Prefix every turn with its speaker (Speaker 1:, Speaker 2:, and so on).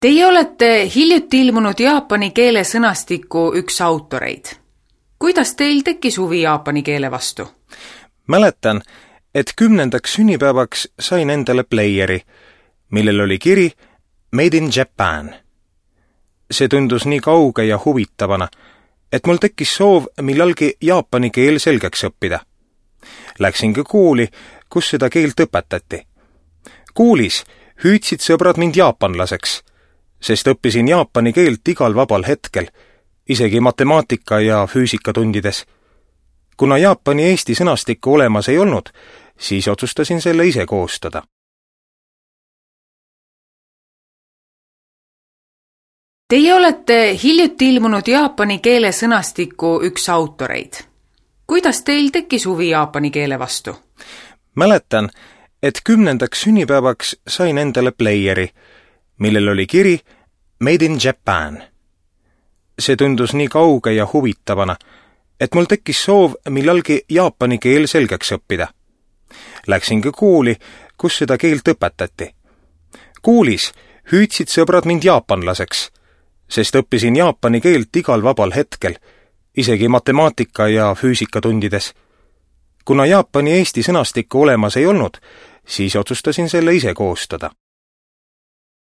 Speaker 1: Teie olete hiljuti ilmunud jaapani keele sõnastiku üks autoreid. Kuidas teil tekkis huvi jaapani keele vastu?
Speaker 2: Mäletan, et 10. sünnipäevaks sain endale playeri, millel oli kiri Made in Japan. See tundus nii kauge ja huvitavana, et mul tekkis soov millalgi jaapani keel selgeks õppida. Läksingi kooli, kus seda keelt õpetati. Koolis hüüdsid sõbrad mind jaapanlaseks, sest õppisin jaapani keelt igal vabal hetkel, isegi matemaatika ja füüsikatundides. Kuna jaapani eesti sõnastikku olemas ei olnud, siis otsustasin selle ise koostada.
Speaker 1: Teie olete hiljuti ilmunud jaapani keele sõnastiku üks autoreid. Kuidas teil tekkis huvi jaapani keele vastu?
Speaker 2: Mäletan, et 10. sünnipäevaks sain endale playeri, millel oli kiri Made in Japan. See tundus nii kauge ja huvitavana, et mul tekkis soov millalgi jaapani keel selgeks õppida. Läksingi kooli, kus seda keelt õpetati. Koolis hüüdsid sõbrad mind jaapanlaseks, sest õppisin jaapani keelt igal vabal hetkel, isegi matemaatika ja füüsikatundides. Kuna jaapani eesti sõnastikku olemas ei olnud, siis otsustasin selle ise koostada.